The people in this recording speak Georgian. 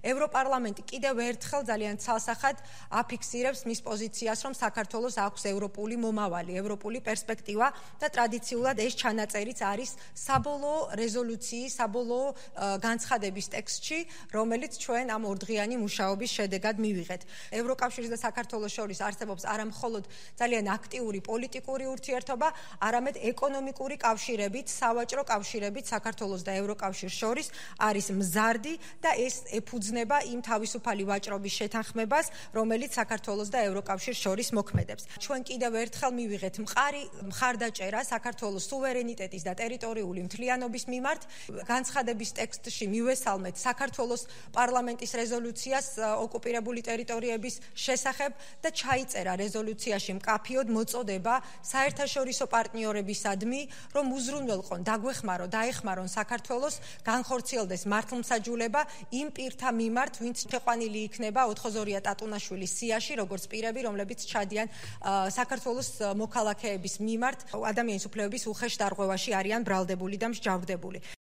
ევროპარლამენტი კიდევ ერთხელ ძალიან ცალსახად აფიქსირებს მის პოზიციას, რომ საქართველოს აქვს ევროპული მომავალი, ევროპული პერსპექტივა და ტრადიციულად ეს ჩანაწერიც არის საბოლოო რეზოლუციის, საბოლოო განცხადების ტექსტში, რომელიც ჩვენ ამ ორდღიანი მუშაობის შედეგად მივიღეთ. ევროკავშირის და საქართველოს შორის არსებობს არა მხოლოდ ძალიან აქტიური პოლიტიკური ურთიერთობა, არამედ ეკონომიკური კავშირებით, სავაჭრო კავშირებით საქართველოს და ევროკავშირს შორის არის მზარდი და ეს ეფუძნება იმ თავისუფალი ვაჭრობის შეთანხმებას, რომელიც საქართველოს და ევროკავშირს შორის მოქმედებს. ჩვენ კიდევ ერთხელ მივიღეთ მყარი მხარდაჭერა საქართველოს სუვერენიტეტის და ტერიტორიული მთლიანობის მიმართ. განცხადების ტექსტში მივესალმეთ საქართველოს პარლამენტის რეზოლუციას ოკუპირებული ტერიტორიების შესახებ და ჩაიწერა რეზოლუციაში მკაფიოდ მოწოდება საერთაშორისო პარტნიორებისადმი, რომ უზრუნველყონ, დაეხმარონ საქართველოს განხორციელდეს მართლმსაჯულება იმ პირთა მიმართ, ვინც შეყვანილი იქნება 4-ზორია ტატუნაშვილის სიაში, როგორც პირები, რომლებიც ჩადიან საქართველოს მოქალაქეების მიმართ ადამიანის უფლებების უხეშ დარღვევაში არიან ბრალდებული და მსჯავრდებული.